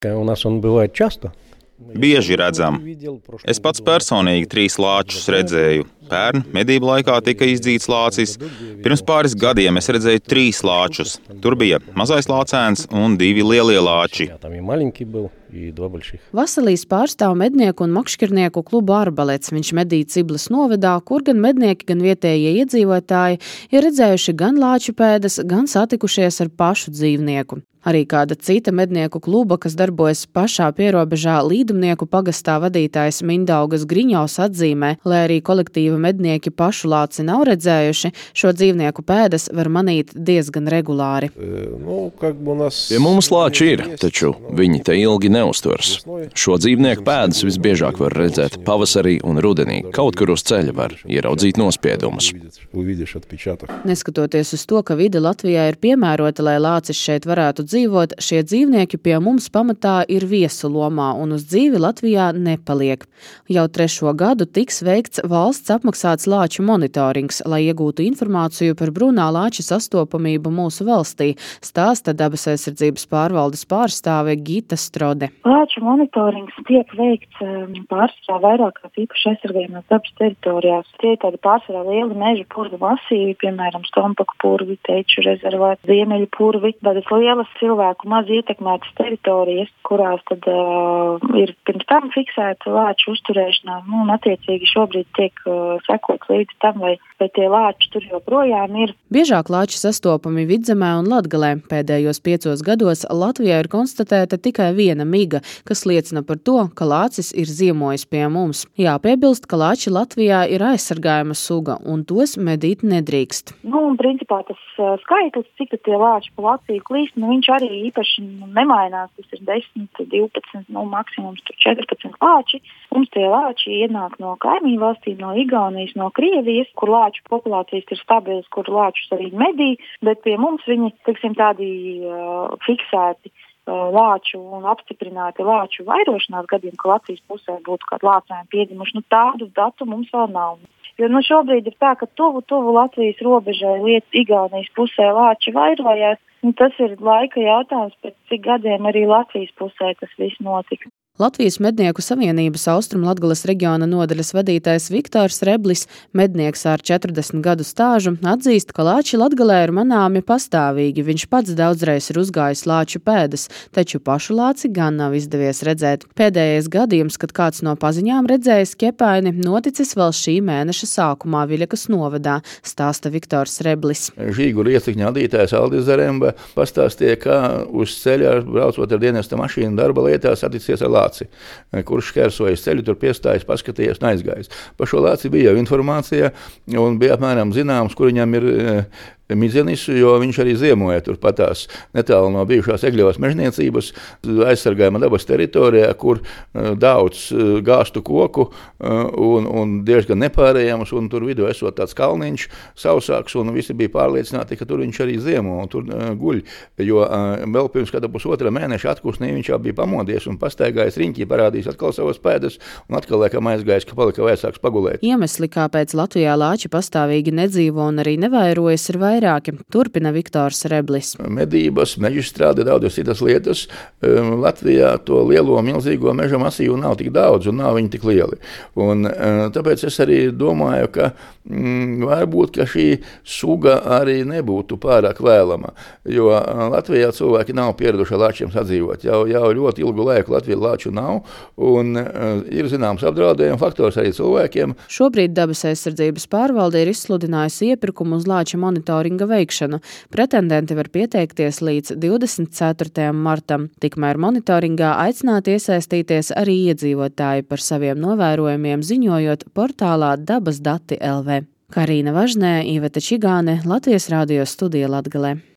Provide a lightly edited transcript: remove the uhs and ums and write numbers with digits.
У нас он бывает часто. Bieži redzam. Es pats personīgi 3 lāčus redzēju. Pērn medību laikā tika izdzīts lācis. Pirms pāris gadiem es redzēju 3 lāčus. Tur bija mazais lācēns un 2 lielie lāči. Vasilijs pārstāv mednieku un makšķernieku klubu Arbalets. Viņš medī Ciblas novadā, kur gan mednieki, gan vietējie iedzīvotāji ir redzējuši gan lāču pēdas, gan satikušies ar pašu dzīvnieku. Arī kāda cita mednieku kluba, kas darbojas pašā pierobežā Līdumnieku pagastā vadītājs Mindaugas Griņovs atzīmē, lai arī kolektīva mednieki pašu lāci nav redzējuši, šo dzīvnieku pēdas var manīt diezgan regulāri. Pie mums lāči ir, taču viņi te ilgi neuzturas. Šo dzīvnieku pēdas visbiežāk var redzēt pavasarī un rudenī. Kaut kur uz ceļa var ieraudzīt nospiedumus. Neskatoties uz to, ka vide Latvijā ir piemērota, lai lācis šeit varētu dzīvot, šie dzīvnieki pie mums pamatā ir viesu lomā un uz dzīvi Latvijā nepaliek. Jau 3. gadu tiks veikts valsts apmaksāts lāču monitorings, lai iegūtu informāciju par brūnā lāča sastopamību mūsu valstī, stāsta Dabas aizsardzības pārvaldes pārstāve Gita Strode. Lāču monitorings tiek veikts pārsvarā vairākās īpaši aizsargājumās dabas teritorijās. Tie ir tādi pārsvarā lieli meža purvu masīvi, piemēram, Stompaku purvi, Teiču rezervāts, Ziemeļu purvi, tādas lielas cilvēku maz ietekmētas teritorijas, kurās tad ir pirms tam fiksēta lāču uzturēšanā, un attiecīgi šobrīd tiek sekots līdz tam, vai tie lāči tur joprojām ir. Biežāk lāči sastopami Vidzemē un Latgalē. Pēdējos 5 gados Latvijā ir konstatēta tikai viena miga, kas liecina par to, ka lācis ir ziemojis pie mums. Jāpiebilst, ka lāči Latvijā ir aizsargājama suga, un tos medīt nedrīkst. Principā tas skaitlis, cik tie lāči pa Latviju klīst, viņš arī īpaši nemainās. Tas ir 10, 12, maksimums 14 lāči. Mums tie lāči ienāk no kaimiņu valstīm, no Igaunijas, no Krievijas, kur lāču populācijas ir stabilas, kur lāčus arī medī, bet pie mums viņi, tādi fiksēti lāču un apstiprināti lāču vairošanās gadiem, ka Latvijas pusē būtu kādi lācēni piedzimuši. Tādu datu mums vēl nav. Jo šobrīd ir tā, ka tuvu Latvijas robežai Igaunijas pusē lāči vairojās. Tas ir laika jautājums, pēc cik gadiem arī Latvijas pusē tas viss notika. Latvijas Mednieku savienības Austrumlatgales reģiona nodaļas vadītājs Viktors Reblis, mednieks ar 40 gadu stāžu, atzīst, ka lāči Latgalē ir manāmi pastāvīgi. Viņš pats daudzreiz ir uzgājis lāču pēdas, taču pašu lāci gan nav izdevies redzēt. Pēdējais gadījums, kad kāds no paziņām redzējis ķepaini, noticis vēl šī mēneša sākumā Viļakas novadā, stāsta Viktors Reblis. Žīguru iecikņa vadītājs Aldis Zaremba pastāstīja, ka uz ceļa braucot ar dienesta mašīnu darba lietās saticies ar lāci, kurš šķērsojas ceļu, tur piestājas, paskatījies un aizgājis. Par šo lāci bija jau informācija un bija apmēram zināms, kur viņam ir midzenis, jo viņš arī ziemoja turpatās netālu no bijušās Egļevas mežniecības, aizsargājama dabas teritorijā, kur daudz gāstu koku un diezgan nepārējams, un tur vidū esot tāds kalniņš sausāks, un visi bija pārliecināti, ka tur viņš arī ziemo un tur guļ, jo vēl pirms kāda 1,5 mēneša atkusnī viņš jau bija pamodies un pastaigājis riņķī, parādījis atkal savas pēdas, un atkal laikam aizgājis, ka palika vajadzāks pagulēt. Iemesli, kāpēc Latvijā lāči pastāvīgi nedzīvo un arī nevairojas, ir vairāki. Turpina Viktors Reblis. Medības, mežstrāde, daudzas citas lietas. Latvijā to lielo, milzīgo meža masīvu nav tik daudz un nav viņi tik lieli. Un tāpēc es arī domāju, ka varbūt, ka šī suga arī nebūtu pārāk vēlama, jo Latvijā cilvēki nav pieraduši ar lāčiem sadzīvot. Jau ļoti ilgu laiku Latvijā lāču nav un ir zināms apdraudējuma faktors arī cilvēkiem. Šobrīd Dabas aizsardzības pārvalde ir izsludinājusi iepirkumu uz lāča monitoringa veikšanu. Pretendenti var pieteikties līdz 24. martam. Tikmēr monitoringā aicināti iesaistīties arī iedzīvotāji par saviem novērojumiem ziņojot portālā Dabas dati LV. Karīna Važnē, Iveta Čigāne, Latvijas radio studija Latgalē.